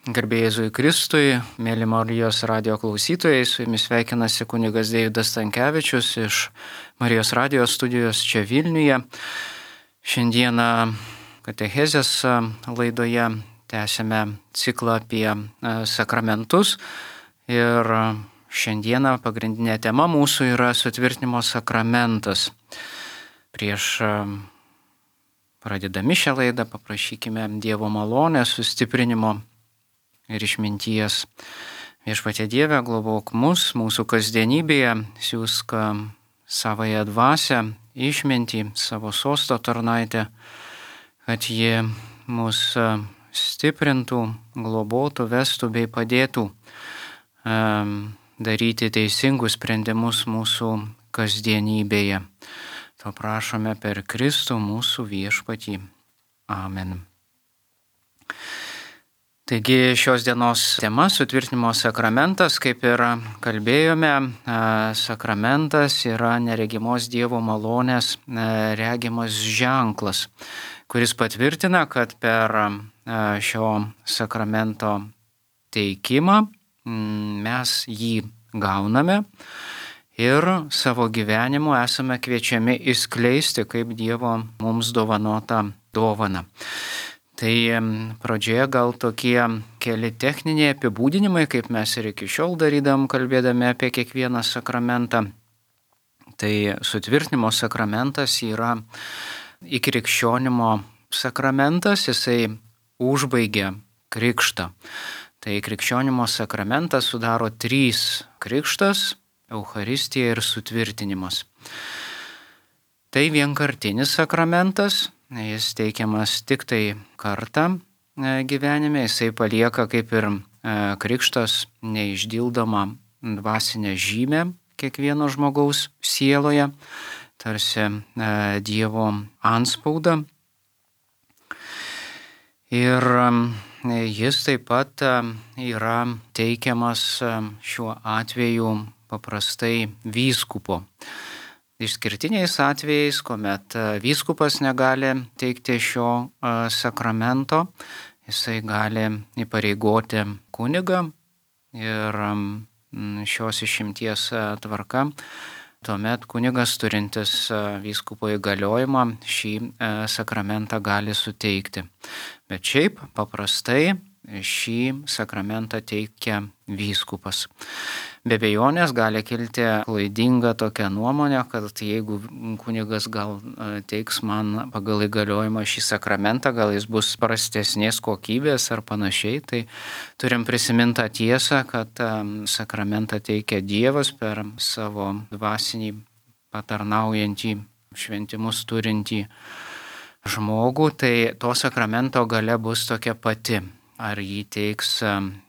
Garbė Jėzui Kristui, mėly Marijos radijo klausytojai, su jumis sveikinasi kunigas Deividas Stankevičius iš Marijos radijo studijos čia Vilniuje. Šiandieną katechezės laidoje tęsime ciklą apie sakramentus ir šiandieną pagrindinė tema mūsų yra sutvirtinimo sakramentas. Prieš pradėdami šią laidą paprašykime Dievo malonės, sustiprinimo ir išminties. Viešpatie Dieve, globok mus mūsų kasdienybėje, siųsk savąją dvasią, išmintį, savo sosto tarnaitę, kad ji mus stiprintų, globotų, vestų bei padėtų daryti teisingus sprendimus mūsų kasdienybėje. To prašome per Kristų mūsų viešpatį. Amen. Taigi šios dienos tema sutvirtinimo sakramentas, kaip ir kalbėjome, sakramentas yra neregimos Dievo malonės regimas ženklas, kuris patvirtina, kad per šio sakramento teikimą mes jį gauname ir savo gyvenimu esame kviečiami išskleisti kaip Dievo mums dovanotą dovaną. Tai pradžioje gal tokie keli techniniai apibūdinimai, kaip mes ir iki šiol darydam, kalbėdami apie kiekvieną sakramentą. Tai sutvirtinimo sakramentas yra įkrikščionimo sakramentas, jisai užbaigia krikštą. Tai krikščionimo sakramentas sudaro 3 krikštas, Eucharistija ir sutvirtinimas. Tai vienkartinis sakramentas. Jis teikiamas tik tai kartą gyvenime, jisai palieka kaip ir krikštas neišdildomą dvasinę žymę kiekvieno žmogaus sieloje, tarsi Dievo antspaudą. Ir jis taip pat yra teikiamas šiuo atveju paprastai vyskupo. Išskirtiniais atvejais, kuomet vyskupas negali teikti šio sakramento, jisai gali įpareigoti kunigą ir šios išimties tvarka. Tuomet kunigas turintis vyskupo įgaliojimą šį sakramentą gali suteikti. Bet šiaip paprastai šį sakramentą teikia vyskupas. Be abejonės gali kilti klaidinga tokia nuomonė, kad jeigu kunigas gal teiks man pagal įgaliojimą šį sakramentą, gal jis bus prastesnės kokybės ar panašiai, tai turim prisiminti tą tiesą, kad sakramentą teikia Dievas per savo dvasinį patarnaujantį, šventimus turintį žmogų, tai to sakramento galia bus tokia pati, ar jį teiks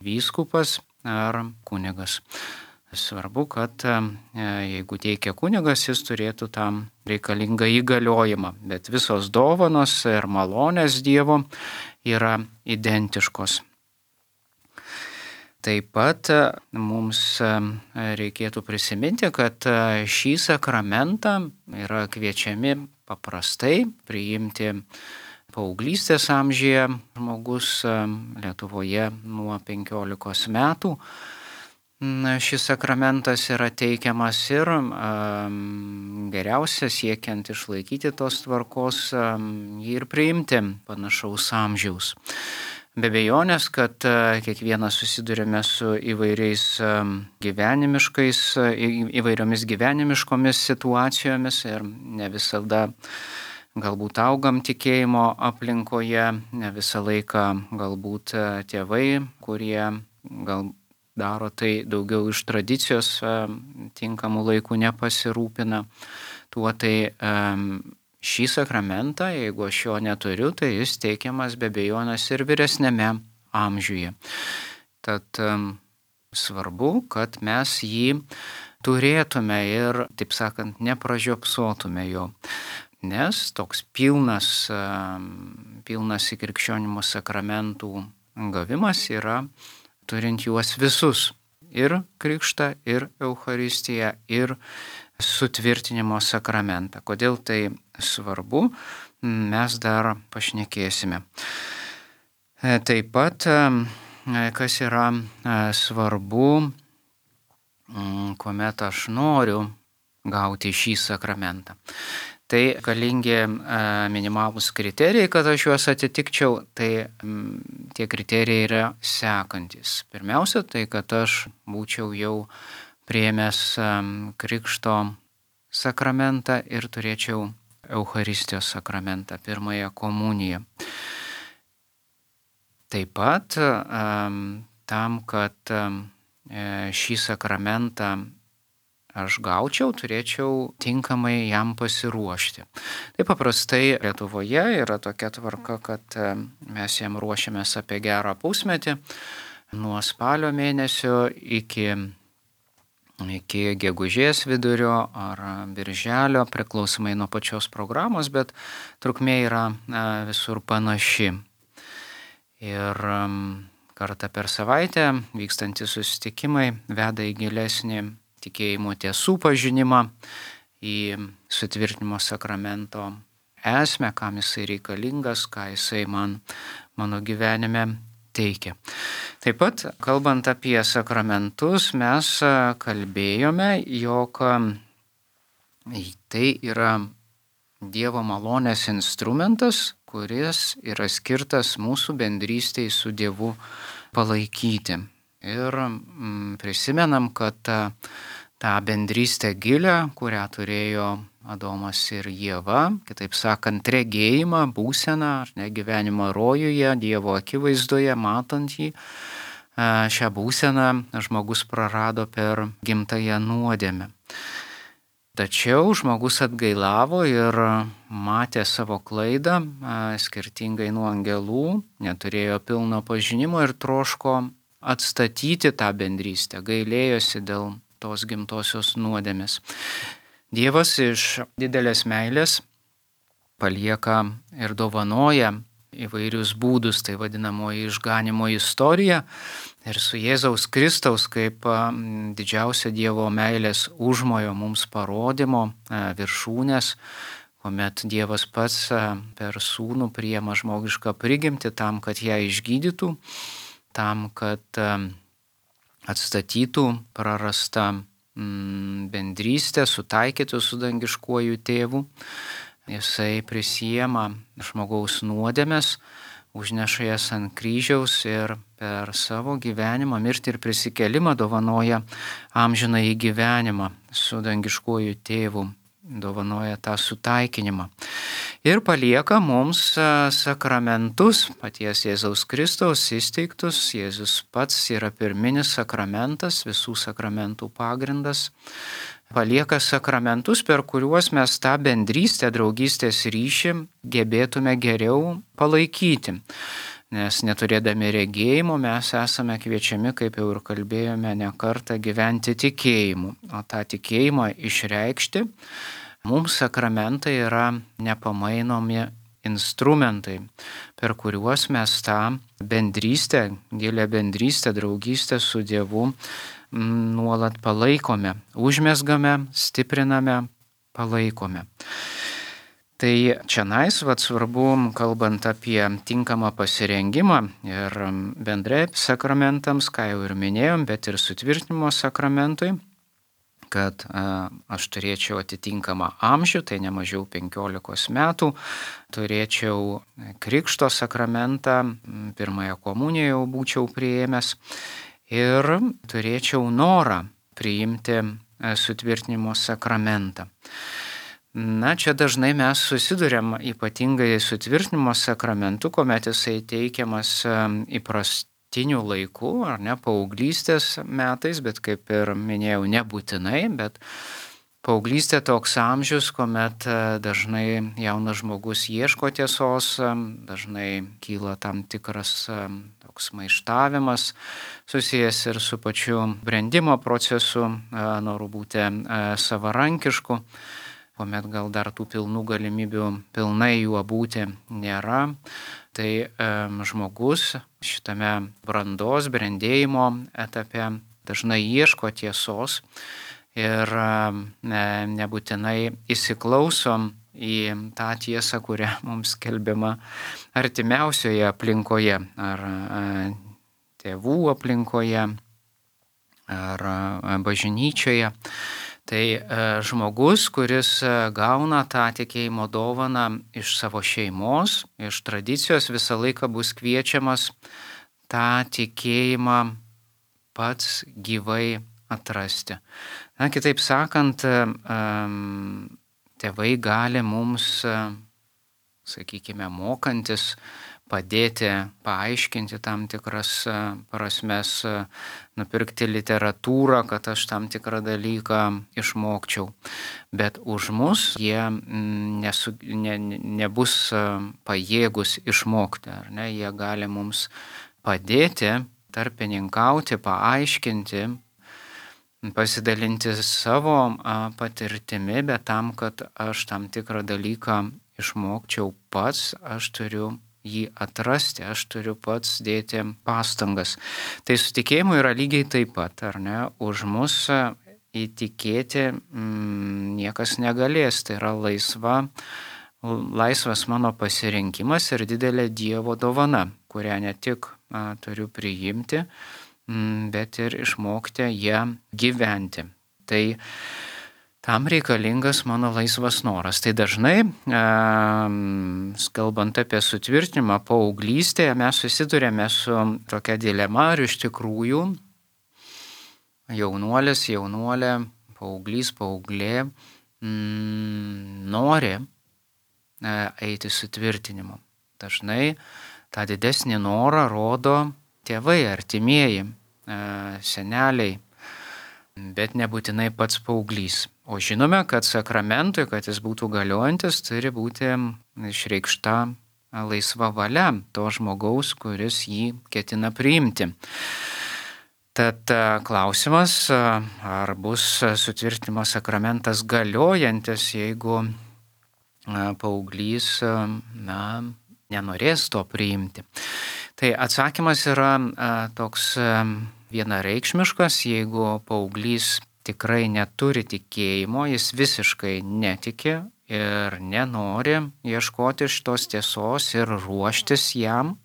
vyskupas ar kunigas. Svarbu, kad jeigu teikia kunigas, jis turėtų tam reikalingą įgaliojimą, bet visos dovanos ir malonės Dievo yra identiškos. Taip pat mums reikėtų prisiminti, kad šį sakramentą yra kviečiami paprastai priimti paauglystės amžiuje žmogus Lietuvoje nuo 15 metų. Šis sakramentas yra teikiamas ir geriausia siekiant išlaikyti tos tvarkos jį ir priimti panašaus amžiaus. Be abejonės, kad kiekvienas susidurime su įvairiomis gyvenimiškomis situacijomis ir ne visada galbūt augam tikėjimo aplinkoje, ne visą laiką galbūt tėvai, kurie gal daro tai daugiau iš tradicijos, tinkamų laikų nepasirūpina. Tuo tai šį sakramentą, jeigu aš jo neturiu, tai jis teikiamas be abejonės ir vyresniame amžiuje. Tad svarbu, kad mes jį turėtume ir, taip sakant, nepražiopsotume jo. Nes toks pilnas įkrikščionimo sakramentų gavimas yra turint juos visus. Ir krikštą, ir Eucharistiją, ir sutvirtinimo sakramentą. Kodėl tai svarbu, mes dar pašnekėsime. Taip pat kas yra svarbu, kuomet aš noriu gauti šį sakramentą. Tai galingi minimalūs kriterijai, kad aš juos atitikčiau, tai tie kriterijai yra sekantis. Pirmiausia, tai kad aš būčiau jau priėmęs krikšto sakramentą ir turėčiau Eucharistijos sakramentą, pirmąją komuniją. Taip pat tam, kad šį sakramentą aš gaučiau, turėčiau tinkamai jam pasiruošti. Tai paprastai Lietuvoje yra tokia tvarka, kad mes jam ruošiamės apie gerą pusmetį, nuo spalio mėnesio iki gegužės vidurio ar birželio, priklausomai nuo pačios programos, bet trukmė yra visur panaši. Ir kartą per savaitę vykstantys susitikimai veda į gilesnį tikėjimo tiesų pažinimą, į sutvirtinimo sakramento esmę, kam jisai reikalingas, ką jisai mano gyvenime teikia. Taip pat, kalbant apie sakramentus, mes kalbėjome, jog tai yra Dievo malonės instrumentas, kuris yra skirtas mūsų bendrystei su Dievu palaikyti. Ir prisimenam, kad tą bendrystę gilę, kurią turėjo Adomas ir Ieva, kitaip sakant, regėjimą, būseną, ar ne, gyvenimą rojuje, Dievo akivaizdoje, matant jį, šią būseną žmogus prarado per gimtąją nuodėmę. Tačiau žmogus atgailavo ir matė savo klaidą, skirtingai nuo angelų, neturėjo pilno pažinimo ir troško atstatyti tą bendrystę, gailėjosi dėl tos gimtosios nuodėmės. Dievas iš didelės meilės palieka ir dovanoja įvairius būdus, tai vadinamoji išganimo istorija, ir su Jėzaus Kristaus kaip didžiausia Dievo meilės užmojo mums parodymo viršūnės, kuomet Dievas pats per sūnų priima žmogišką prigimtį tam, kad ją išgydytų, tam, kad atstatytų prarastą bendrystę, sutaikytų su dangiškuoju tėvu. Jisai prisiema žmogaus nuodėmes, užneša jas ant kryžiaus ir per savo gyvenimą, mirtį ir prisikėlimą dovanoja amžinąjį gyvenimą su dangiškuoju tėvu, dovanoja tą sutaikinimą. Ir palieka mums sakramentus, paties Jėzaus Kristaus įsteigtus. Jėzus pats yra pirminis sakramentas, visų sakramentų pagrindas. Palieka sakramentus, per kuriuos mes tą bendrystę, draugystės ryšį gebėtume geriau palaikyti. Nes neturėdami regėjimo mes esame kviečiami, kaip jau ir kalbėjome ne kartą, gyventi tikėjimu. O tą tikėjimą išreikšti mums sakramentai yra nepamainomi instrumentai, per kuriuos mes tą bendrystę, gilę bendrystę, draugystę su Dievu nuolat palaikome, užmesgame, stipriname, palaikome. Tai čionais svarbu, kalbant apie tinkamą pasirengimą ir bendrai sakramentams, ką jau ir minėjom, bet ir sutvirtinimo sakramentui, kad aš turėčiau atitinkamą amžių, tai ne mažiau 15 metų, turėčiau krikšto sakramentą, pirmąją komuniją jau būčiau priėmęs ir turėčiau norą priimti sutvirtinimo sakramentą. Na, čia dažnai mes susiduriam ypatingai sutvirtinimo sakramentu, kuomet jisai teikiamas įprastiniu laiku, ar ne, paauglystės metais, bet kaip ir minėjau, nebūtinai, bet paauglystė toks amžius, kuomet dažnai jaunas žmogus ieško tiesos, dažnai kyla tam tikras toks maištavimas, susijęs ir su pačiu brendimo procesu, noru būti savarankišku, kuomet gal dar tų pilnų galimybių pilnai juo būti nėra. Tai žmogus šitame brandos, brendėjimo etape dažnai ieško tiesos ir nebūtinai įsiklausom į tą tiesą, kurią mums skelbiama artimiausioje aplinkoje ar tėvų aplinkoje ar bažnyčioje. Tai žmogus, kuris gauna tą tikėjimo dovaną iš savo šeimos, iš tradicijos, visą laiką bus kviečiamas tą tikėjimą pats gyvai atrasti. Na, kitaip sakant, tėvai gali mums, sakykime, mokantis, padėti paaiškinti tam tikras prasmes, nupirkti literatūrą, kad aš tam tikrą dalyką išmokčiau. Bet už mus jie nebus pajėgus išmokti, ar ne? Jie gali mums padėti, tarpininkauti, paaiškinti, pasidalinti savo patirtimi, bet tam, kad aš tam tikrą dalyką išmokčiau pats, aš turiu jį atrasti, aš turiu pats dėti pastangas. Tai su tikėjimu yra lygiai taip pat, ar ne? Už mus įtikėti niekas negalės, tai yra laisvas mano pasirinkimas ir didelė Dievo dovana, kurią ne tik turiu priimti, bet ir išmokti ją gyventi. Tai tam reikalingas mano laisvas noras. Tai dažnai, kalbant apie sutvirtinimą paauglystėje, mes susidurėme su tokia dilema, ar iš tikrųjų jaunuolis, jaunolė, paauglys, paauglė nori eiti sutvirtinimu. Dažnai tą didesnį norą rodo tėvai, artimieji, seneliai, bet nebūtinai pats paauglys. O žinome, kad sakramentui, kad jis būtų galiojantis, turi būti išreikšta laisva valia to žmogaus, kuris jį ketina priimti. Tad klausimas, ar bus sutvirtinimo sakramentas galiojantis, jeigu paauglys nenorės to priimti. Tai atsakymas yra toks vienareikšmiškas, jeigu paauglys tikrai neturi tikėjimo, jis visiškai netiki ir nenori ieškoti šitos tiesos ir ruoštis jam,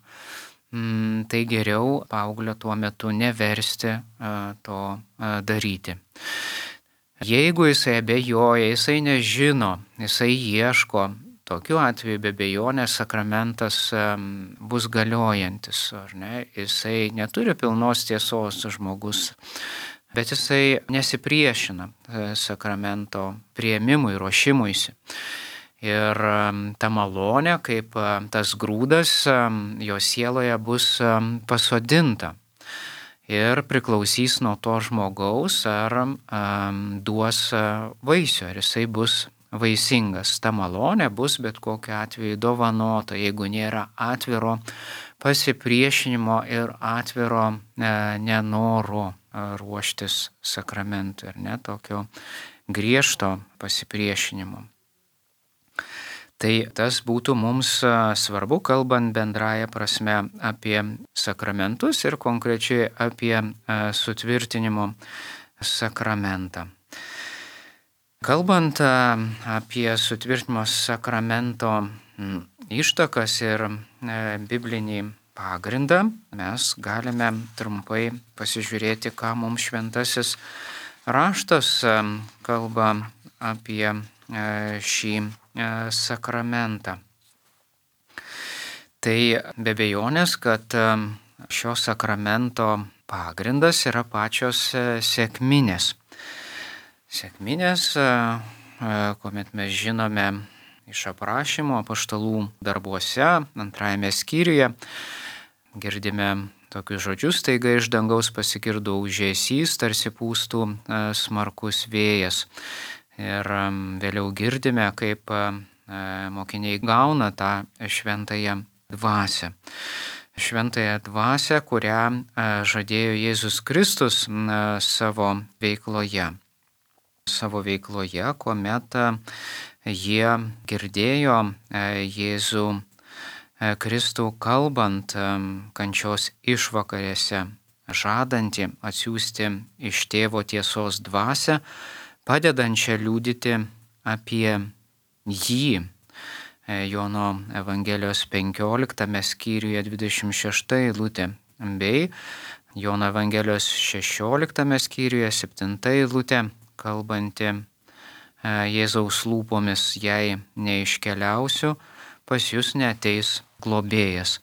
tai geriau paauglio tuo metu neversti to daryti. Jeigu jisai abejoja, jisai nežino, jisai ieško, tokiu atveju be abejonės sakramentas bus galiojantis, ar ne? Jisai neturi pilnos tiesos žmogus, bet jisai nesipriešina sakramento priėmimui, ruošimuisi. Ir ta malonė, kaip tas grūdas, jo sieloje bus pasodinta ir priklausys nuo to žmogaus, ar duos vaisių, ar jisai bus vaisingas. Ta malonė bus bet kokiu atveju dovanota, jeigu nėra atviro pasipriešinimo ir atviro nenoro ruoštis sakramentui, ar ne, tokio griežto pasipriešinimo. Tai tas būtų mums svarbu, kalbant bendraja prasme apie sakramentus ir konkrečiai apie sutvirtinimo sakramentą. Kalbant apie sutvirtinimo sakramento ištakas ir biblinį pagrindą, mes galime trumpai pasižiūrėti, ką mums šventasis raštas kalba apie šį sakramentą. Tai be abejonės, kad šio sakramento pagrindas yra pačios sekminės. Sekminės, kuomet mes žinome iš aprašymo apaštalų darbuose, 2 skyriuje, girdime tokius žodžius, taiga iš dangaus pasigirdo ūžesys, tarsi pūstų smarkus vėjas. Ir vėliau girdime, kaip mokiniai gauna tą šventąją dvasią. Šventąją dvasią, kurią žadėjo Jėzus Kristus savo veikloje. Kuomet jie girdėjo Jėzų Kristų kalbant kančios išvakarėse, žadantį atsiųsti iš Tėvo tiesos dvasią, padedančią liudyti apie jį. Jono Evangelijos 15 skyriuje 26 eilutė. bei Jono Evangelijos 16 skyriuje 7 eilutė, kalbanti Jėzaus lūpomis, jei neiškeliausiu, pas jūs neateis globėjas.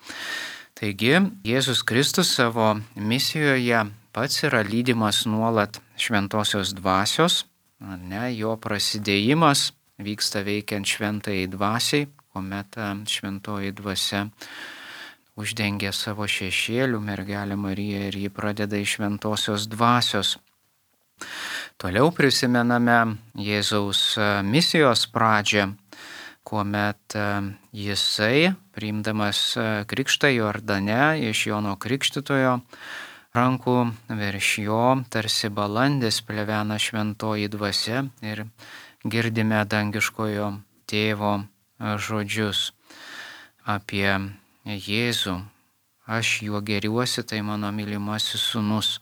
Taigi Jėzus Kristus savo misijoje pats yra lydimas nuolat šventosios dvasios, jo prasidėjimas vyksta veikiant šventajai dvasiai, kuomet šventoji dvasia uždengia savo šešėlių mergelę Mariją ir ji pradeda iš šventosios dvasios. Toliau prisimename Jėzaus misijos pradžią, kuomet jisai, priimdamas krikštą Jordane iš Jono Krikštytojo rankų, virš jo tarsi balandis plevena šventoji dvasia ir girdime dangiškojo tėvo žodžius apie Jėzų. Aš juo gėriuosi, tai mano mylimasis sūnus.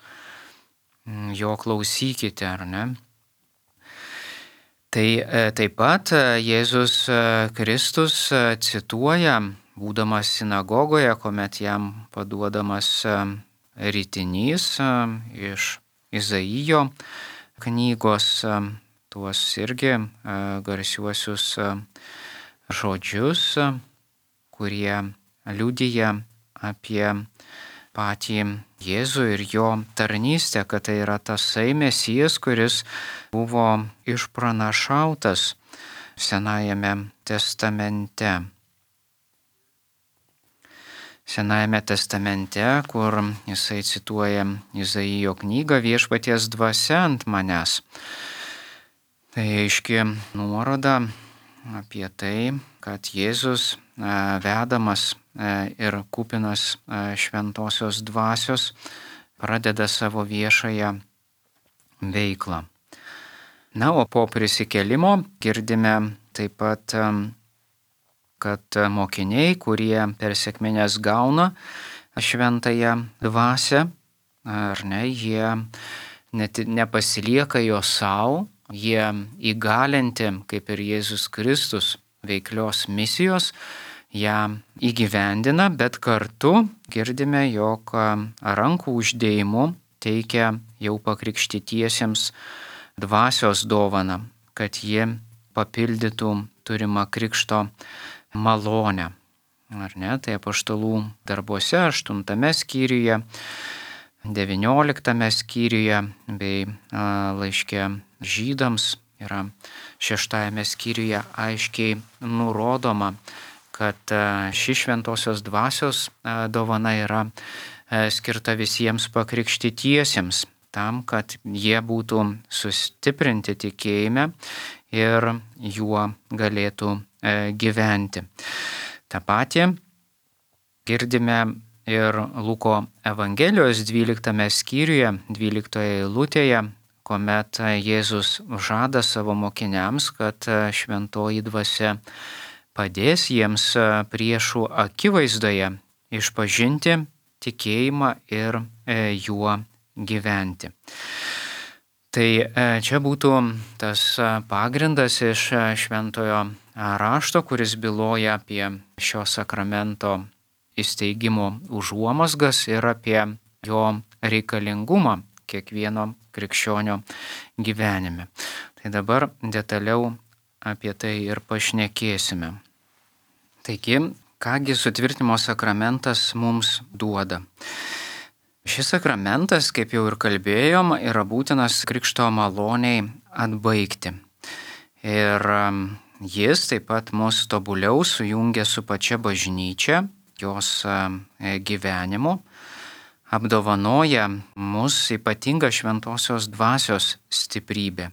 Jo klausykite, ar ne? Tai taip pat Jėzus Kristus cituoja, būdamas sinagogoje, kuomet jam paduodamas ritinys iš Izaijo knygos, tuos irgi garsiuosius žodžius, kurie liudija apie patį Jėzų ir jo tarnystę, kad tai yra tasai Mesijas, kuris buvo išpranašautas Senajame testamente. Senajame testamente, kur jisai cituoja Izaijo knygą Viešpaties dvasia ant manęs. Tai aiški nuoroda apie tai, kad Jėzus vedamas ir kupinas šventosios dvasios pradeda savo viešąją veiklą. Na, o po prisikėlimo girdime taip pat, kad mokiniai, kurie per sekmines gauna šventąją dvasią, ar ne, jie nepasilieka jo savo, jie įgalinti, kaip ir Jėzus Kristus, veiklios misijos, ją įgyvendina, bet kartu girdime, jog rankų uždėjimu teikia jau pakrikštytiesiems dvasios dovaną, kad ji papildytų turimą krikšto malonę. Ar ne? Tai apaštalų darbuose 8 skyriuje, 19 skyriuje bei laiške žydams yra 6 skyriuje aiškiai nurodoma, kad ši šventosios dvasios dovana yra skirta visiems pakrikštytiesiems, tam, kad jie būtų sustiprinti tikėjime ir juo galėtų gyventi. Ta pati girdime ir Luko Evangelijos 12 skyriuje, 12 eilutėje, kuomet Jėzus žada savo mokiniams, kad šventoji dvasia padės jiems priešų akivaizdoje išpažinti tikėjimą ir juo gyventi. Tai čia būtų tas pagrindas iš šventojo rašto, kuris byloja apie šio sakramento įsteigimo užuomazgas ir apie jo reikalingumą kiekvieno krikščionio gyvenime. Tai dabar detaliau apie tai ir pašnekėsime. Taigi, kągi sutvirtinimo sakramentas mums duoda? Šis sakramentas, kaip jau ir kalbėjom, yra būtinas krikšto maloniai atbaigti. Ir jis taip pat mus tobuliau sujungia su pačia bažnyčia, jos gyvenimu, apdovanoja mus ypatinga šventosios dvasios stiprybė.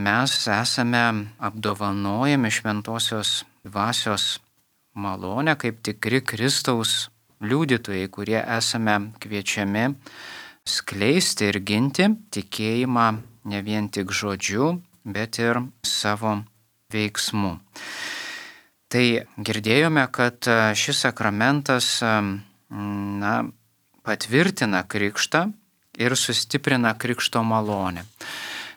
Mes esame apdovanojami šventosios dvasios malonę kaip tikri Kristaus liudytojai, kurie esame kviečiami skleisti ir ginti tikėjimą ne vien tik žodžiu, bet ir savo veiksmu. Tai girdėjome, kad šis sakramentas patvirtina krikštą ir sustiprina krikšto malonę.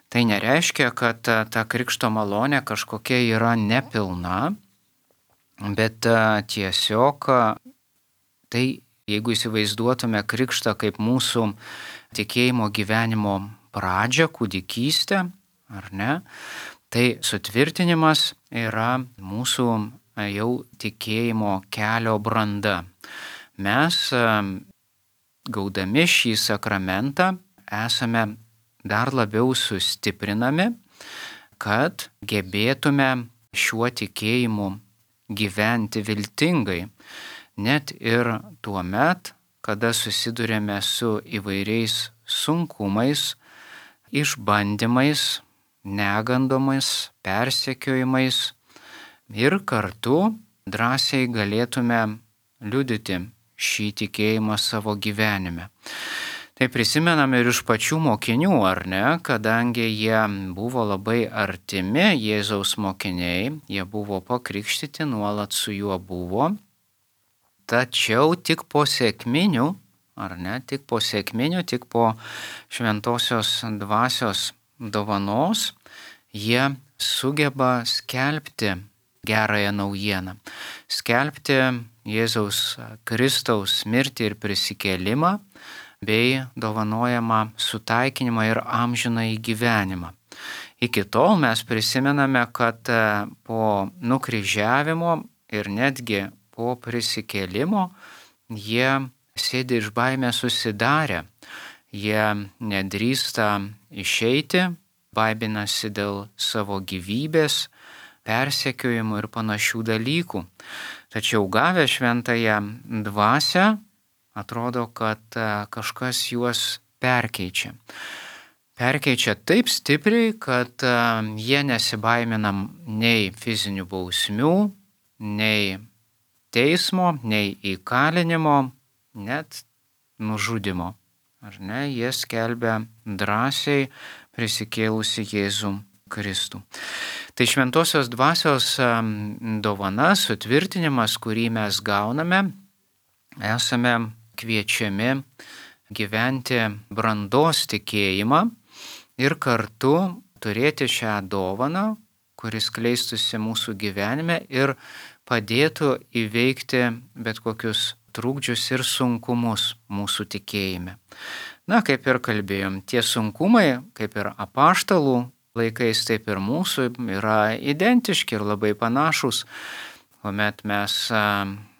Tai nereiškia, kad ta krikšto malonė kažkokia yra nepilna, bet tiesiog tai Jeigu įsivaizduotume krikštą kaip mūsų tikėjimo gyvenimo pradžią, kūdikystę, ar ne, tai sutvirtinimas yra mūsų jau tikėjimo kelio branda. Mes, gaudami šį sakramentą, esame dar labiau sustiprinami, kad gebėtume šiuo tikėjimu gyventi viltingai, net ir tuo met, kada susidurėme su įvairiais sunkumais, išbandymais, negandomis, persekiojimais ir kartu drąsiai galėtume liudyti šį tikėjimą savo gyvenime. Tai prisimename ir iš pačių mokinių, ar ne, kadangi jie buvo labai artimi Jėzaus mokiniai, jie buvo pakrikštyti, nuolat su juo buvo, tačiau tik po sekminių, ar ne, tik po šventosios dvasios dovanos jie sugeba skelbti gerąją naujieną, skelbti Jėzaus Kristaus mirtį ir prisikėlimą, bei dovanojamą sutaikinimą ir amžinąjį gyvenimą. Iki tol mes prisimename, kad po nukryžiavimo ir netgi po prisikėlimo jie sėdi iš baimės susidarę, jie nedrįsta išeiti, baiminasi dėl savo gyvybės, persekiojimų ir panašių dalykų. Tačiau gavę šventąją dvasią, atrodo, kad kažkas juos perkeičia. Perkeičia taip stipriai, kad jie nesibaimina nei fizinių bausmių, nei teismo, nei įkalinimo, net nužudimo. Ar ne, jie skelbia drąsiai prisikėlusi Jėzų Kristų. Tai šventosios dvasios dovana, sutvirtinimas, kurį mes gauname, esame kviečiami gyventi brandos tikėjimą ir kartu turėti šią dovaną, kuris kleistųsi mūsų gyvenime ir padėtų įveikti bet kokius trukdžius ir sunkumus mūsų tikėjime. Na, kaip ir kalbėjom, tie sunkumai, kaip ir apaštalų laikais, taip ir mūsų, yra identiški ir labai panašus. Kuomet mes,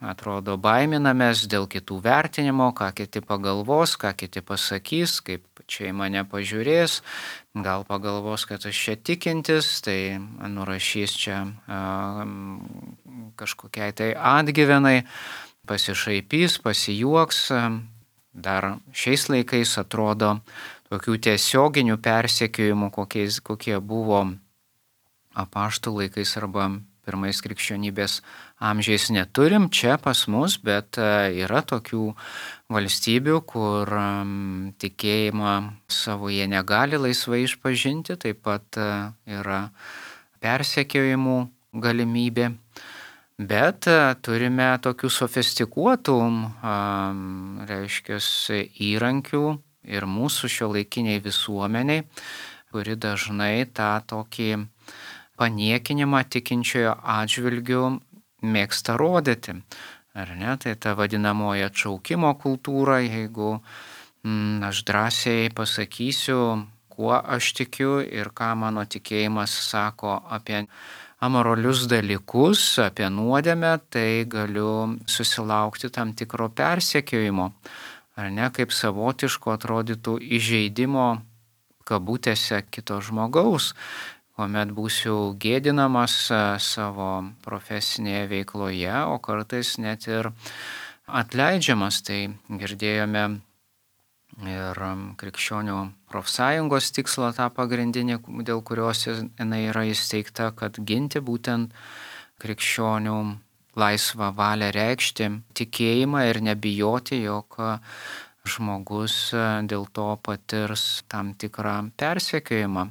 atrodo, baiminamės dėl kitų vertinimo, ką kiti pagalvos, ką kiti pasakys, kaip čia į mane pažiūrės, gal pagalvos, kad aš čia tikintis, tai nurašys čia kažkokiai tai atgyvenai, pasišaipys, pasijuoks. Dar šiais laikais atrodo tokių tiesioginių persekiojimų, kokie buvo apaštalų laikais arba pirmais krikščionybės amžiais neturim čia pas mus, bet yra tokių valstybių, kur tikėjimą savo jie negali laisvai išpažinti, taip pat yra persekiojimų galimybė, bet turime tokių sofistikuotų, įrankių ir mūsų šiuolaikiniai visuomeniai, kuri dažnai tą tokį paniekinimą tikinčiojo atžvilgių mėgsta rodyti. Ar ne? Tai ta vadinamoji atšaukimo kultūra, jeigu aš drąsiai pasakysiu, kuo aš tikiu ir ką mano tikėjimas sako apie amoralius dalykus, apie nuodėmę, tai galiu susilaukti tam tikro persekiojimo. Ar ne, kaip savotiško atrodytų įžeidimo kabutėse kito žmogaus, kuomet būsiu gėdinamas savo profesinėje veikloje, o kartais net ir atleidžiamas. Tai girdėjome ir krikščionių profsąjungos tikslą tą pagrindinį, dėl kurios jinai yra įsteigta, kad ginti būtent krikščionių laisvą valią reikšti tikėjimą ir nebijoti, jog žmogus dėl to patirs tam tikrą persekiojimą,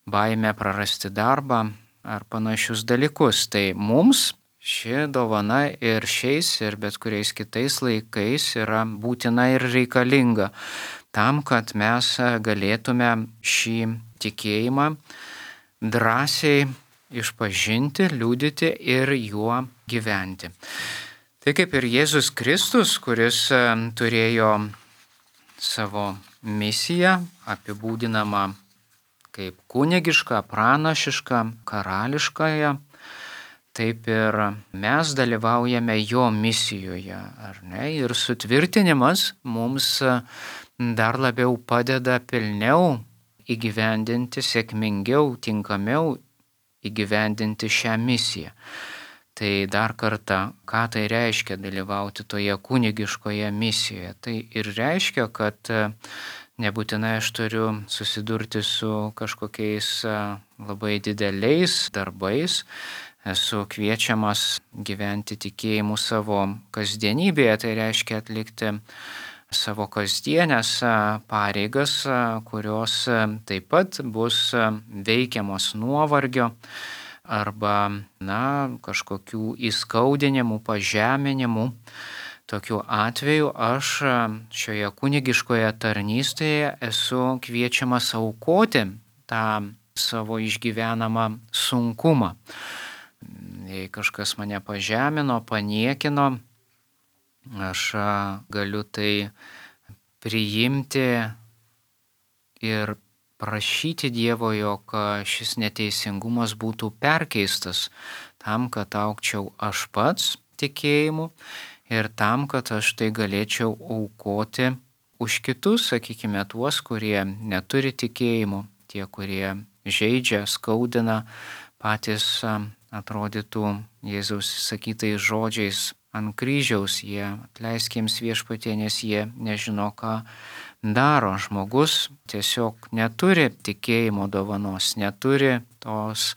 baimę prarasti darbą ar panašius dalykus. Tai mums ši dovana ir šiais ir bet kuriais kitais laikais yra būtina ir reikalinga tam, kad mes galėtume šį tikėjimą drąsiai išpažinti, liudyti ir juo gyventi. Tai kaip ir Jėzus Kristus, kuris turėjo savo misiją apibūdinamą kaip kunigišką, pranašišką, karališkąją, taip ir mes dalyvaujame jo misijoje, ar ne? Ir sutvirtinimas mums dar labiau padeda pilniau įgyvendinti, sėkmingiau, tinkamiau įgyvendinti šią misiją. Tai dar kartą, ką tai reiškia dalyvauti toje kunigiškoje misijoje? Tai ir reiškia, kad nebūtinai aš turiu susidurti su kažkokiais labai dideliais darbais. Esu kviečiamas gyventi tikėjimu savo kasdienybėje, tai reiškia atlikti savo kasdienės pareigas, kurios taip pat bus veikiamos nuovargio arba, kažkokių įskaudinimų, pažeminimų. Tokiu atveju aš šioje kunigiškoje tarnystėje esu kviečiamas aukoti tą savo išgyvenamą sunkumą. Jei kažkas mane pažemino, paniekino, aš galiu tai priimti ir prašyti Dievo, jog šis neteisingumas būtų perkeistas tam, kad augčiau aš pats tikėjimu ir tam, kad aš tai galėčiau aukoti už kitus, sakykime, tuos, kurie neturi tikėjimo, tie, kurie žeidžia, skaudina, patys atrodytų Jėzaus sakytais žodžiais ant kryžiaus, jie atleisk jiems Viešpatie, nes jie nežino, ką daro. Žmogus tiesiog neturi tikėjimo dovanos, neturi tos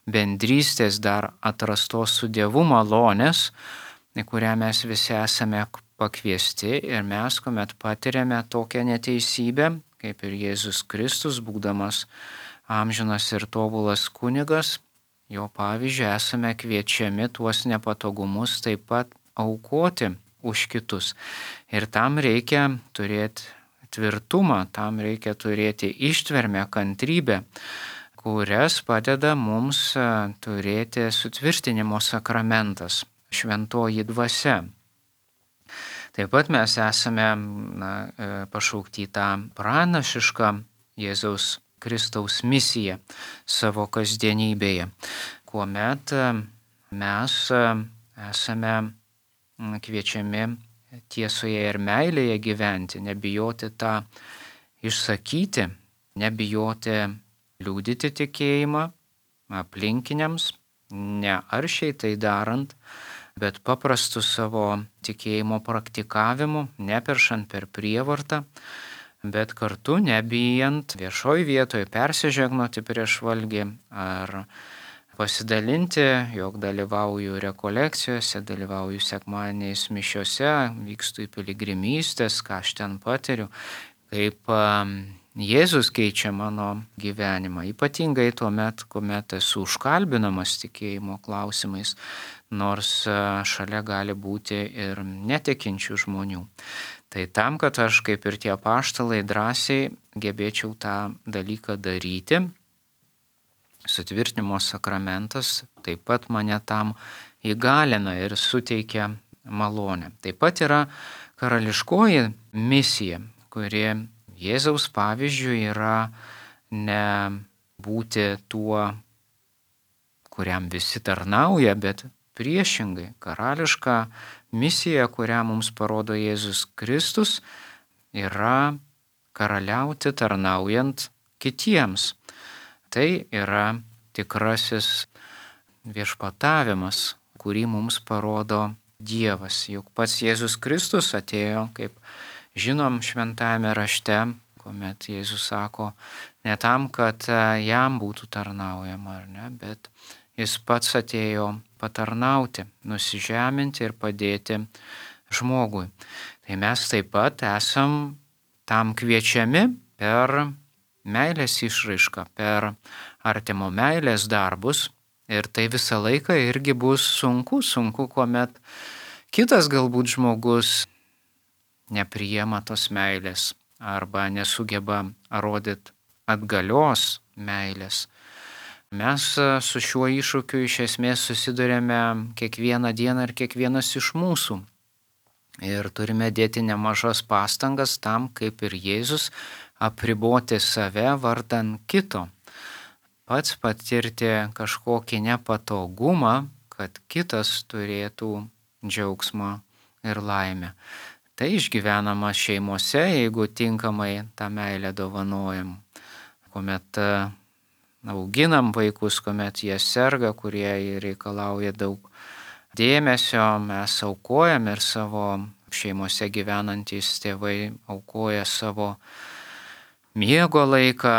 bendrystės dar atrastos su Dievu malonės, į kurią mes visi esame pakviesti ir mes, kuomet patiriame tokią neteisybę, kaip ir Jėzus Kristus, būdamas amžinas ir tobulas kunigas, jo pavyzdžiu esame kviečiami tuos nepatogumus taip pat aukoti už kitus. Ir tam reikia turėti tvirtumą, tam reikia turėti ištvermę, kantrybę, kurias padeda mums turėti sutvirtinimo sakramentas, šventoji dvasia. Taip pat mes esame pašaukti tą pranašišką Jėzaus Kristaus misiją savo kasdienybėje, kuomet mes esame kviečiami tiesoje ir meilėje gyventi, nebijoti tą išsakyti, nebijoti liudyti tikėjimą aplinkiniams, ne aršiai tai darant, bet paprastu savo tikėjimo praktikavimu, neperšant per prievartą, bet kartu nebijant viešoj vietoje persižegnoti prieš valgį ar pasidalinti, jog dalyvauju rekolekcijose, dalyvauju sekmadieniais mišiose, vykstu į piligrimystės, ką aš ten patiriu, kaip Jėzus keičia mano gyvenimą, ypatingai tuomet, kuomet esu užkalbinamas tikėjimo klausimais, nors šalia gali būti ir netikinčių žmonių. Tai tam, kad aš kaip ir tie apaštalai drąsiai gebėčiau tą dalyką daryti, sutvirtinimo sakramentas taip pat mane tam įgalina ir suteikia malonę. Taip pat yra karališkoji misija, kuri Jėzaus pavyzdžių yra ne būti tuo, kuriam visi tarnauja, bet priešingai karališka misija, kurią mums parodo Jėzus Kristus, yra karaliauti tarnaujant kitiems. Tai yra tikrasis viešpatavimas, kurį mums parodo Dievas. Juk pats Jėzus Kristus atėjo, kaip žinom šventajame rašte, kuomet Jėzus sako, ne tam, kad jam būtų tarnaujama, ar ne, bet jis pats atėjo patarnauti, nusižeminti ir padėti žmogui. Tai mes taip pat esam tam kviečiami per meilės išraišką, per artimo meilės darbus. Ir tai visą laiką irgi bus sunku, kuomet kitas galbūt žmogus nepriima tos meilės arba nesugeba rodyti atgalios meilės. Mes su šiuo iššūkiu iš esmės susidurėme kiekvieną dieną ir kiekvienas iš mūsų. Ir turime dėti nemažas pastangas tam, kaip ir Jėzus, apriboti save vardan kito. Pats patirti kažkokį nepatogumą, kad kitas turėtų džiaugsmą ir laimę. Tai išgyvenama šeimose, jeigu tinkamai tą meilę dovanojam. Kuomet auginam vaikus, kuomet jie serga, kurie reikalauja daug dėmesio, mes aukojam ir savo šeimose gyvenantys tėvai aukoja savo miego laiką,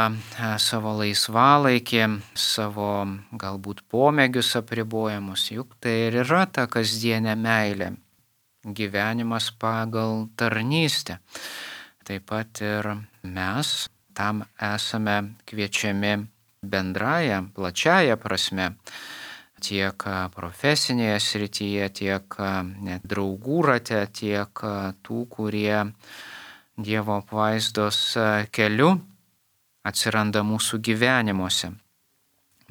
savo laisvalaikį, savo galbūt pomėgius apribojimus. Juk tai ir yra ta kasdienė meilė, gyvenimas pagal tarnystę. Taip pat ir mes tam esame kviečiami bendraja, plačiaja prasme, tiek profesinėje srityje, tiek net draugų rate, tiek tų, kurie Dievo apvaizdos keliu atsiranda mūsų gyvenimuose.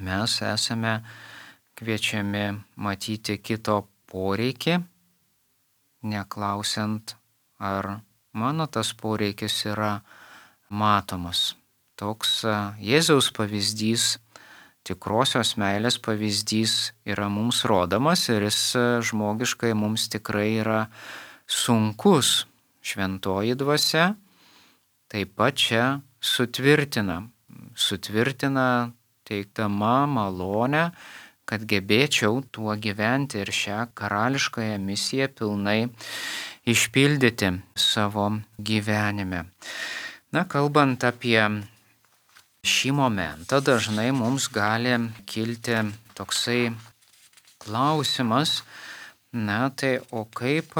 Mes esame kviečiami matyti kito poreikį, neklausiant, ar mano tas poreikis yra matomas. Toks Jėzaus pavyzdys, tikrosios meilės pavyzdys yra mums rodomas ir jis žmogiškai mums tikrai yra sunkus. Šventoji dvasia taip pat čia sutvirtina teikdama malonę, kad gebėčiau tuo gyventi ir šią karališkąją misiją pilnai išpildyti savo gyvenime. Kalbant apie šį momentą, dažnai mums gali kilti toksai klausimas, tai o kaip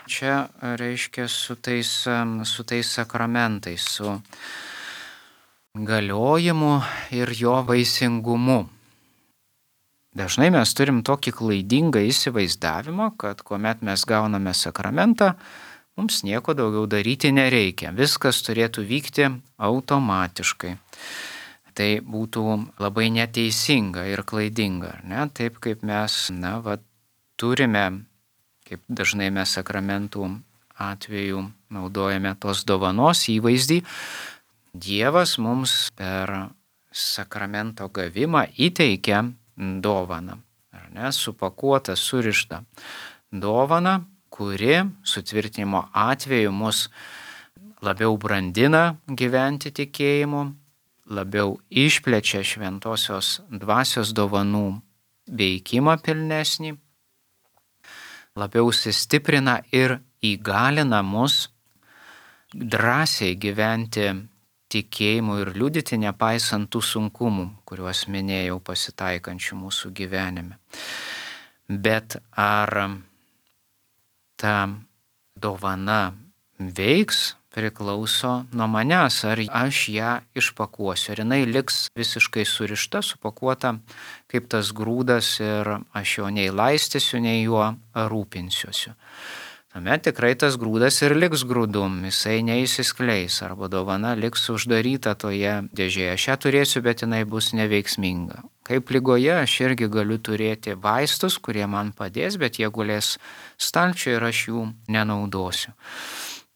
čia reiškia su tais sakramentais, su galiojimu ir jo vaisingumu. Dažnai mes turim tokį klaidingą įsivaizdavimą, kad kuomet mes gauname sakramentą, mums nieko daugiau daryti nereikia. Viskas turėtų vykti automatiškai. Tai būtų labai neteisinga ir klaidinga, ne? Taip kaip mes, turime, kaip dažnai mes sakramentų atveju naudojame tos dovanos įvaizdį, Dievas mums per sakramento gavimą įteikia dovaną, supakuotą, surištą dovaną, kuri sutvirtinimo atveju mus labiau brandina gyventi tikėjimu, labiau išplečia šventosios dvasios dovanų veikimą pilnesnį, labiau sustiprina ir įgalina mus drąsiai gyventi tikėjimu ir liudyti nepaisant tų sunkumų, kuriuos minėjau pasitaikančių mūsų gyvenime. Bet ar ta dovana veiks, priklauso nuo manęs, ar aš ją išpakuosiu, ar jinai liks visiškai surišta, supakuota kaip tas grūdas ir aš jo nei laistysiu, nei juo rūpinsiuosiu. Tuomet tikrai tas grūdas ir liks grūdum, jisai neįsiskleis arba dovana liks uždaryta toje dėžėje. Aš ją turėsiu, bet jinai bus neveiksminga. Kaip ligoje aš irgi galiu turėti vaistus, kurie man padės, bet jie gulės stalčiuje ir aš jų nenaudosiu.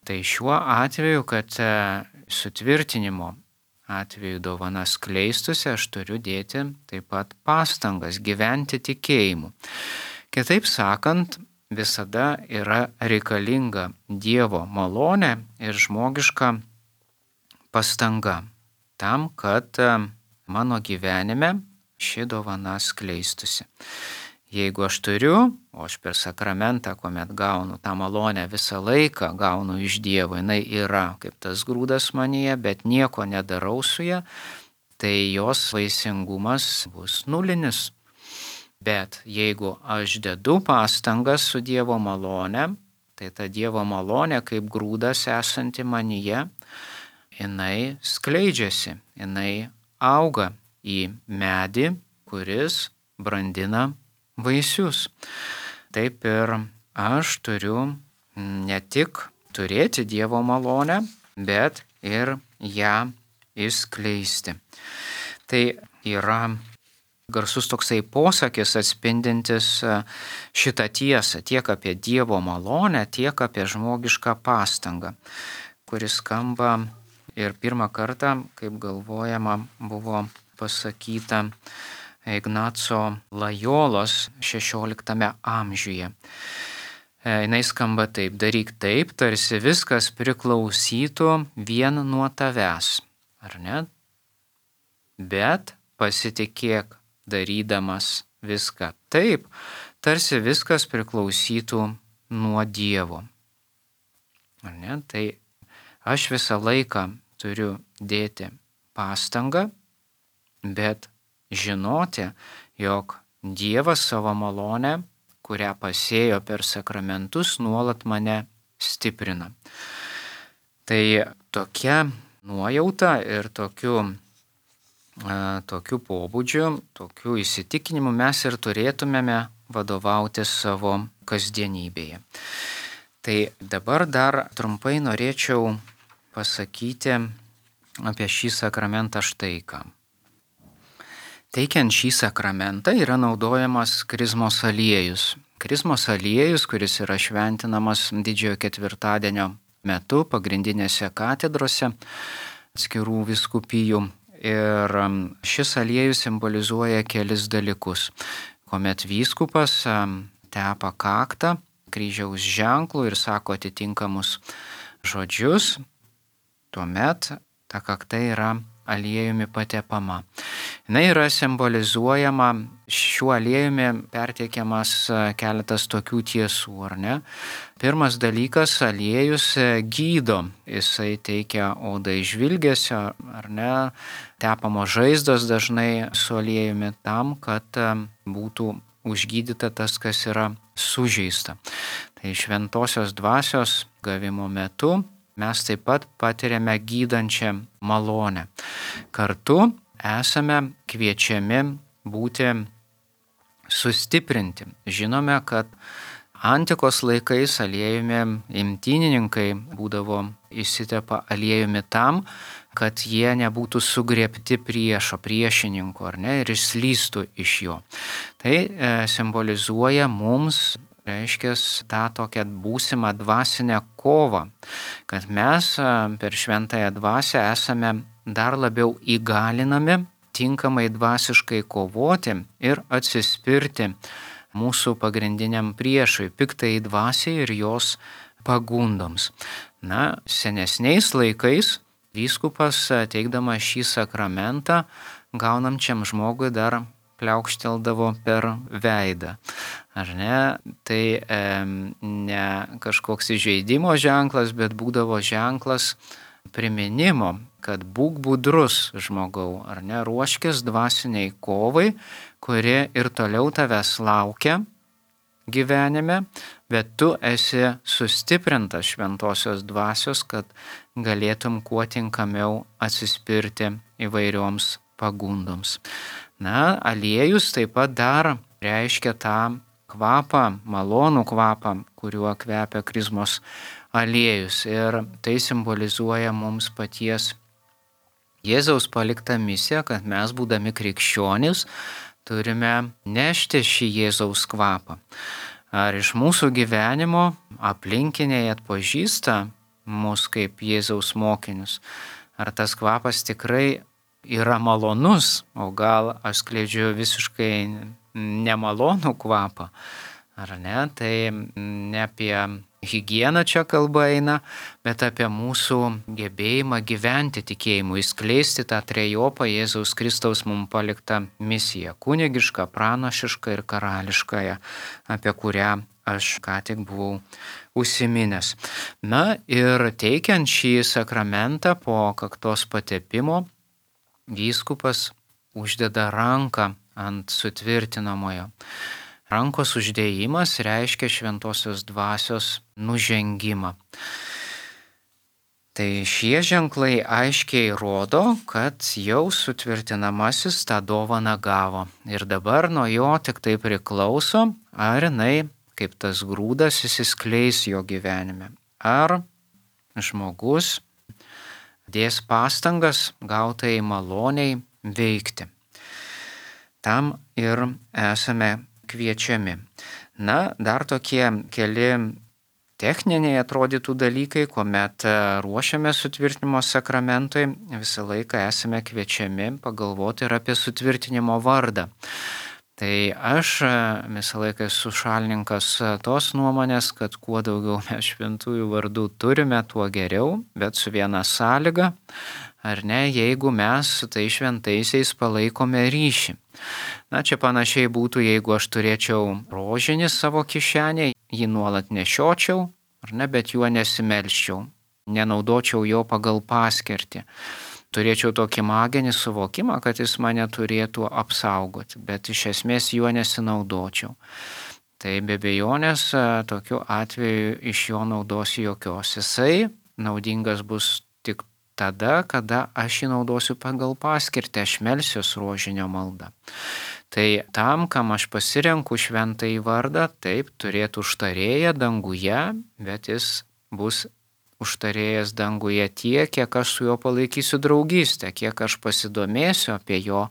Tai šiuo atveju, kad sutvirtinimo atveju dovana skleistusi, aš turiu dėti taip pat pastangas gyventi tikėjimu. Kitaip sakant, visada yra reikalinga Dievo malonė ir žmogiška pastanga tam, kad mano gyvenime ši dovana skleistusi. Jeigu aš turiu, o aš per sakramentą, kuomet gaunu tą malonę visą laiką, gaunu iš Dievo, jinai yra kaip tas grūdas manyje, bet nieko nedarau su ja, tai jos vaisingumas bus nulinis. Bet jeigu aš dedu pastangas su Dievo malone, tai ta Dievo malonė kaip grūdas esanti manyje, jinai skleidžiasi, jinai auga į medį, kuris brandina vaisius. Taip ir aš turiu ne tik turėti Dievo malonę, bet ir ją išskleisti. Tai yra garsus toksai posakis atspindintis šitą tiesą tiek apie Dievo malonę, tiek apie žmogišką pastangą, kuris skamba ir pirmą kartą, kaip galvojama, buvo pasakyta Ignaco Lajolos 16 amžiuje. Jis skamba taip: daryk taip, tarsi viskas priklausytų vien nuo tavęs, ar ne? Bet pasitikėk darydamas viską taip, tarsi viskas priklausytų nuo Dievo. Ar ne? Tai aš visą laiką turiu dėti pastangą, bet žinoti, jog Dievas savo malonę, kurią pasėjo per sakramentus, nuolat mane stiprina. Tai tokia nuojauta ir tokiu pobūdžiu, tokiu įsitikinimu mes ir turėtumėme vadovauti savo kasdienybėje. Tai dabar dar trumpai norėčiau pasakyti apie šį sakramentą štai ką. Teikiant šį sakramentą yra naudojamas krizmos aliejus. Krizmos aliejus, kuris yra šventinamas Didžiojo ketvirtadienio metu pagrindinėse katedrose atskirų vyskupijų. Ir šis aliejus simbolizuoja kelis dalykus. Kuomet vyskupas tepa kaktą kryžiaus ženklų ir sako atitinkamus žodžius, tuomet ta kakta yra aliejumi patepama. Jis yra simbolizuojama, šiuo aliejumi perteikiamas keletas tokių tiesų, ar ne? Pirmas dalykas, aliejus gydo, jisai teikia odai žvilgesio, ar ne? Tepamos žaizdos dažnai su aliejumi tam, kad būtų užgydyta tas, kas yra sužeista. Tai šventosios dvasios gavimo metu mes taip pat patiriame gydančią malonę. Kartu esame kviečiami būti sustiprinti. Žinome, kad antikos laikais aliejumi imtynininkai būdavo įsitepa aliejumi tam, kad jie nebūtų sugriebti priešininko, ar ne, ir išslystų iš jo. Tai simbolizuoja mums, reiškia, tą tokią būsimą dvasinę kovą, kad mes per šventąją dvasią esame dar labiau įgalinami tinkamai dvasiškai kovoti ir atsispirti mūsų pagrindiniam priešui, piktai dvasiai ir jos pagundoms. Senesniais laikais vyskupas teikdamas šį sakramentą gaunančiam žmogui dar pliaukšteldavo per veidą. Ar ne? Tai ne kažkoks įžeidimo ženklas, bet būdavo ženklas priminimo, kad būk budrus žmogau, ar ne, ruoškis dvasiniai kovai, kuri ir toliau tavęs laukia gyvenime, bet tu esi sustiprintas šventosios dvasios, kad galėtum kuo tinkamiau atsispirti įvairioms pagundoms. Aliejus taip pat dar reiškia tą kvapą, malonų kvapą, kuriuo kvepia krizmos aliejus. Ir tai simbolizuoja mums paties Jėzaus paliktą misiją, kad mes, būdami krikščionys, turime nešti šį Jėzaus kvapą. Ar iš mūsų gyvenimo aplinkiniai atpažįsta mus kaip Jėzaus mokinius? Ar tas kvapas tikrai yra malonus, o gal aš skleidžiu visiškai nemalonų kvapą, ar ne? Tai ne apie higieną čia kalba eina, bet apie mūsų gebėjimą gyventi tikėjimu, įskleisti tą trejopą Jėzaus Kristaus mums paliktą misiją, kunigišką, pranašišką ir karališkąją, apie kurią aš ką tik buvau užsiminęs. Ir teikiant šį sakramentą po kaktos patepimo, vyskupas uždeda ranką ant sutvirtinamojo. Rankos uždėjimas reiškia šventosios dvasios nužengimą. Tai šie ženklai aiškiai rodo, kad jau sutvirtinamasis tą dovaną gavo. Ir dabar nuo jo tik tai priklauso, ar jinai, kaip tas grūdas, įsiskleis jo gyvenime. Ar žmogus dės pastangas gautai maloniai veikti. tam ir esame kviečiami. Na, dar tokie keli techniniai atrodytų dalykai, kuomet ruošiame sutvirtinimo sakramentui, visą laiką esame kviečiami pagalvoti ir apie sutvirtinimo vardą. Tai aš visą laiką esu šalininkas tos nuomonės, kad kuo daugiau mes šventųjų vardų turime, tuo geriau, bet su viena sąlyga, ar ne, jeigu mes su tai šventaisiais palaikome ryšį. Na, čia panašiai būtų, jeigu aš turėčiau rožinį savo kišenėje, jį nuolat nešiočiau, ar ne, bet juo nesimelščiau, nenaudočiau jo pagal paskirtį. Turėčiau tokį maginį suvokimą, kad jis mane turėtų apsaugoti, bet iš esmės juo nesinaudočiau. Tai be abejonės tokiu atveju iš jo naudos jokios. Jisai naudingas bus tik tada, kada aš jį naudosiu pagal paskirtį, aš melsiuos rožinio maldą. Tai tam, kam aš pasirenku šventąjį vardą, taip turėtų užtarėją danguje, bet jis bus užtarėjas danguje tiek, kiek aš su juo palaikysiu draugystę, kiek aš pasidomėsiu apie jo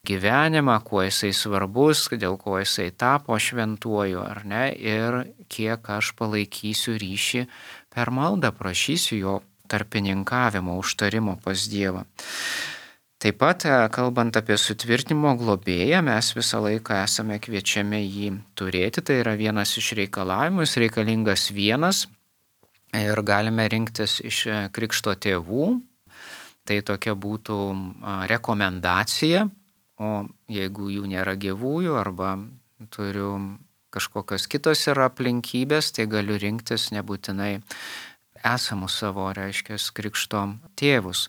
gyvenimą, kuo jisai svarbus, dėl ko jisai tapo šventuoju, ar ne, ir kiek aš palaikysiu ryšį per maldą, prašysiu jo tarpininkavimo, užtarimo pas Dievą. Taip pat, kalbant apie sutvirtinimo globėją, mes visą laiką esame kviečiami jį turėti, tai yra vienas iš reikalavimų, jis reikalingas vienas. Ir galime rinktis iš krikšto tėvų, tai tokia būtų rekomendacija, o jeigu jų nėra gyvųjų arba turiu kažkokios kitos yra aplinkybės, tai galiu rinktis nebūtinai esamus savo, reiškia, krikšto tėvus.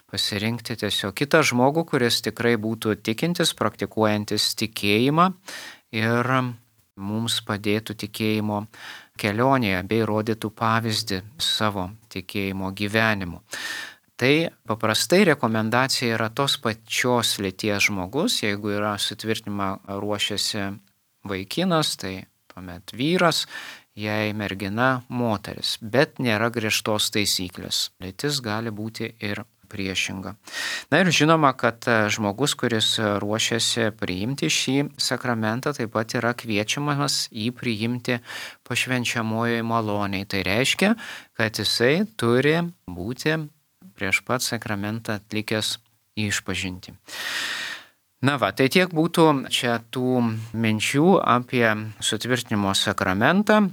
Pasirinkti tiesiog kitą žmogų, kuris tikrai būtų tikintis, praktikuojantis tikėjimą ir mums padėtų tikėjimo kelionėje bei rodytų pavyzdį savo tikėjimo gyvenimu. Tai paprastai rekomendacija yra tos pačios lyties žmogus, jeigu yra sutvirtinimą ruošiasi vaikinas, tai tuomet vyras, jei mergina moteris, bet nėra griežtos taisyklės. Lytis gali būti ir priešinga. Na ir žinoma, kad žmogus, kuris ruošiasi priimti šį sakramentą, taip pat yra kviečiamas jį priimti pašvenčiamojoje malonėje. Tai reiškia, kad jisai turi būti prieš pat sakramentą atlikęs išpažintį. Na va, tai tiek būtų čia tų minčių apie sutvirtinimo sakramentą.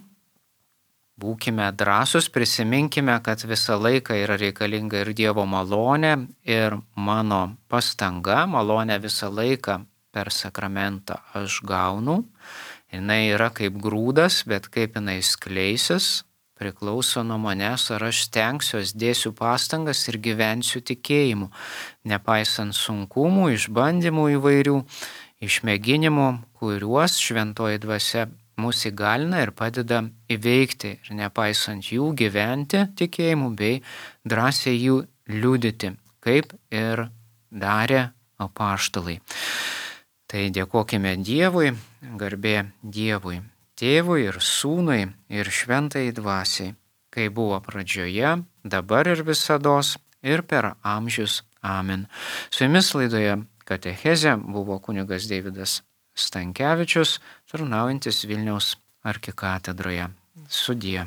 Būkime drąsūs, prisiminkime, kad visą laiką yra reikalinga ir Dievo malonė, ir mano pastanga, malonė visą laiką per sakramentą aš gaunu. Jinai yra kaip grūdas, bet kaip jinai skleisis, priklauso nuo manęs, ar aš stengsiuos, dėsiu pastangas ir gyvensiu tikėjimu, nepaisant sunkumų, išbandymų įvairių, išmėginimų, kuriuos šventoji dvasia mus įgalina ir padeda įveikti ir nepaisant jų gyventi tikėjimu bei drąsiai jų liudyti, kaip ir darė apaštalai. Tai dėkokime Dievui, garbė Dievui, Tėvui ir Sūnui ir Šventajai Dvasiai, kai buvo pradžioje, dabar ir visados ir per amžius. Amen. Su jumis laidoje Katechezė buvo kunigas Deividas Stankevičius, tarnaujantis Vilniaus arkikatedroje. Sudie.